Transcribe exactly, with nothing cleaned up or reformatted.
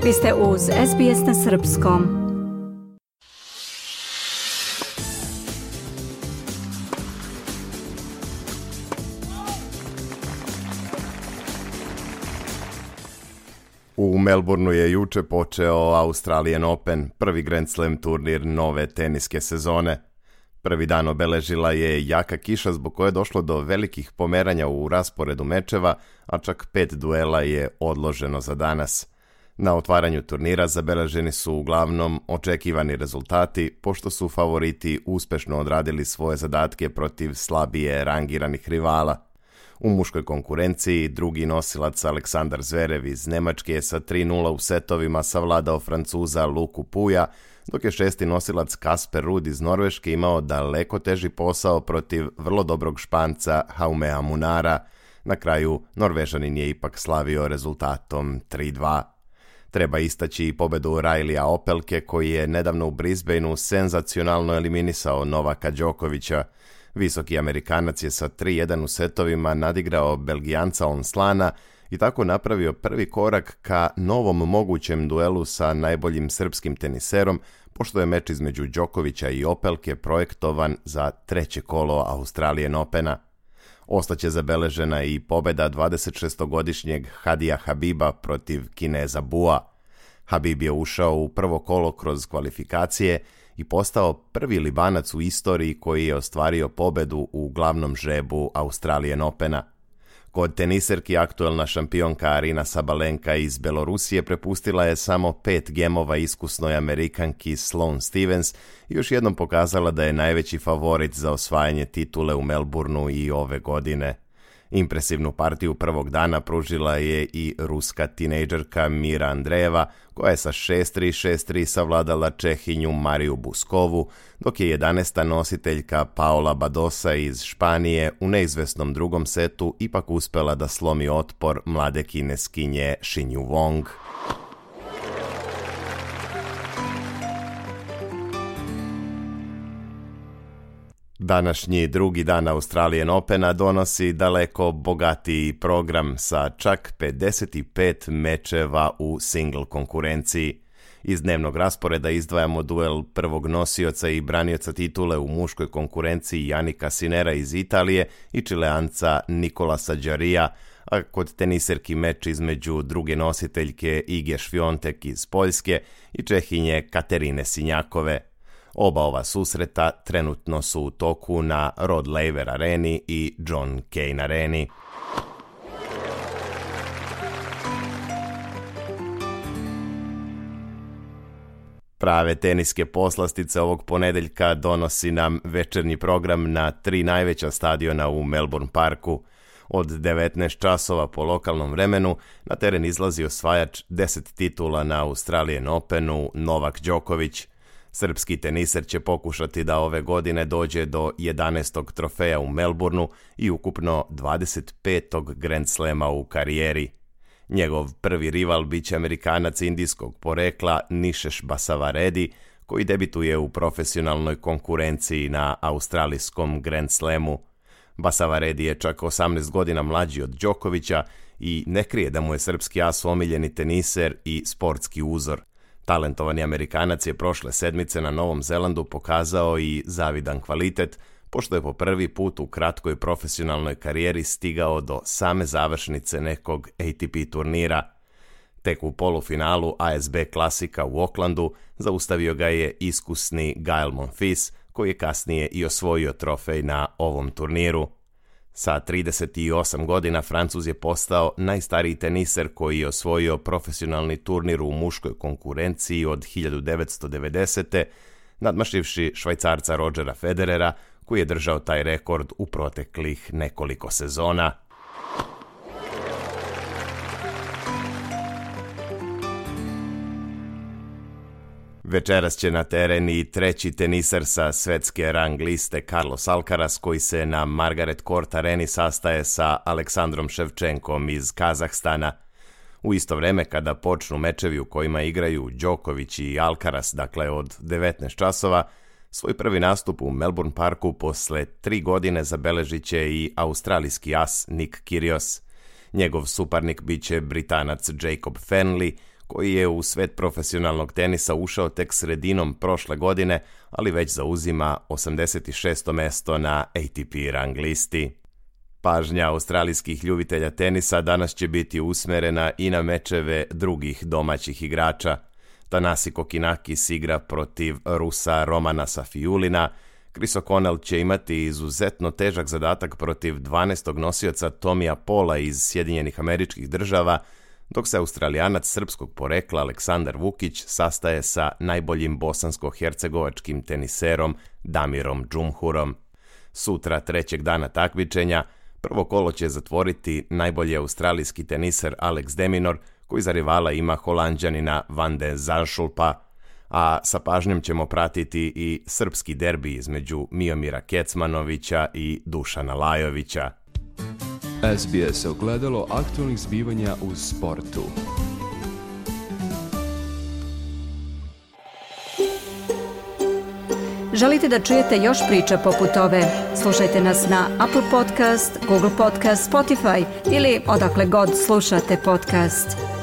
Vi ste uz S B S na srpskom. U Melbourneu je juče počeo Australian Open, prvi Grand Slam turnir nove teniske sezone. Prvi dan obeležila je jaka kiša zbog koje je došlo do velikih pomeranja u rasporedu mečeva, a čak pet duela je odloženo za danas. Na otvaranju turnira zabeleženi su uglavnom očekivani rezultati, pošto su favoriti uspešno odradili svoje zadatke protiv slabije rangiranih rivala. U muškoj konkurenciji drugi nosilac Aleksandar Zverev iz Nemačke je sa tri nula u setovima savladao Francuza Luku Puja, dok je šesti nosilac Kasper Ruud iz Norveške imao daleko teži posao protiv vrlo dobrog Španca Jaumea Munara. Na kraju Norvežanin je ipak slavio rezultatom tri dva. Treba istaći i pobedu Rileyja Opelke, koji je nedavno u Brisbaneu senzacionalno eliminisao Novaka Đokovića. Visoki Amerikanac je sa tri jedan u setovima nadigrao Belgijanca Onslana i tako napravio prvi korak ka novom mogućem duelu sa najboljim srpskim teniserom, pošto je meč između Đokovića i Opelke projektovan za treće kolo Australian Opena. Ostaće zabeležena i pobeda dvadesetšestogodišnjeg Hadija Habiba protiv Kineza Bua. Habib je ušao u prvo kolo kroz kvalifikacije i postao prvi Libanac u istoriji koji je ostvario pobedu u glavnom žrebu Australian Opena. Kod teniserki aktuelna šampionka Arina Sabalenka iz Belorusije prepustila je samo pet gemova iskusnoj Amerikanki Sloane Stevens i još jednom pokazala da je najveći favorit za osvajanje titule u Melbourneu i ove godine. Impresivnu partiju prvog dana pružila je i ruska tinejdžerka Mira Andreeva, koja je sa šest tri šest tri savladala Čehinju Mariju Buskovu, dok je jedanaesta nositeljka Paola Badosa iz Španije u neizvesnom drugom setu ipak uspela da slomi otpor mlade Kineskinje Xinyu Wang. Današnji drugi dan Australian Opena donosi daleko bogatiji program sa čak pedeset pet mečeva u single konkurenciji. Iz dnevnog rasporeda izdvajamo duel prvog nosioca i branioca titule u muškoj konkurenciji Jannika Sinera iz Italije i Čileanca Nikolasa Džarija, a kod teniserki meč između druge nositeljke Ige Šviontek iz Poljske i Čehinje Katerine Sinjakove. Oba ova susreta trenutno su u toku na Rod Laver areni i John Cain areni. Prave teniske poslastice ovog ponedeljka donosi nam večernji program na tri najveća stadiona u Melbourne Parku. Od devetnaest časova po lokalnom vremenu na teren izlazi osvajač deset titula na Australian Openu Novak Đoković. Srpski teniser će pokušati da ove godine dođe do jedanaestog trofeja u Melbourneu i ukupno dvadeset petog Grand Slema u karijeri. Njegov prvi rival biće Amerikanac indijskog porekla Nishesh Basavaredi, koji debituje u profesionalnoj konkurenciji na australijskom Grand Slemu. Basavaredi je čak osamnaest godina mlađi od Đokovića i ne krije da mu je srpski as omiljeni teniser i sportski uzor. Talentovani Amerikanac je prošle sedmice na Novom Zelandu pokazao i zavidan kvalitet, pošto je po prvi put u kratkoj profesionalnoj karijeri stigao do same završnice nekog A T P turnira. Tek u polufinalu A S B klasika u Aucklandu zaustavio ga je iskusni Gael Monfils, koji je kasnije i osvojio trofej na ovom turniru. Sa trideset osam godina Francuz je postao najstariji teniser koji je osvojio profesionalni turnir u muškoj konkurenciji od hiljadu devetsto devedesete. nadmašivši Švajcarca Rodgera Federera, koji je držao taj rekord u proteklih nekoliko sezona. Večeras će na teren i treći teniser sa svetske rang liste Carlos Alcaraz, koji se na Margaret Court areni sastaje sa Aleksandrom Ševčenkom iz Kazahstana. U isto vreme kada počnu mečevi u kojima igraju Đoković i Alcaraz, dakle od devetnaest časova, svoj prvi nastup u Melbourne Parku posle tri godine zabeležit će i australijski as Nick Kyrgios. Njegov suparnik biće Britanac Jacob Fenley, koji je u svet profesionalnog tenisa ušao tek sredinom prošle godine, ali već zauzima osamdeset šesto mesto na A T P rang listi. Pažnja australijskih ljubitelja tenisa danas će biti usmerena i na mečeve drugih domaćih igrača. Thanasi Kokkinakis igra protiv Rusa Romana Safiulina, Chris O'Connell će imati izuzetno težak zadatak protiv dvanaestog nosioca Tomija Paula iz Sjedinjenih Američkih Država, dok se Australijanac srpskog porekla Aleksandar Vukić sastaje sa najboljim bosansko-hercegovačkim teniserom Damirom Džumhurom. Sutra, trećeg dana takmičenja, prvo kolo će zatvoriti najbolji australijski teniser Alex de Minaur, koji za rivala ima Holanđanina Van de Zandschulpa, a sa pažnjom ćemo pratiti i srpski derbi između Miomira Kecmanovića i Dušana Lajovića. S B S ogledalo aktualnih zbivanja u sportu. Želite da čujete još priča poput ove? Slušajte nas na Apple Podcast, Google Podcast, Spotify ili odakle god slušate podcast.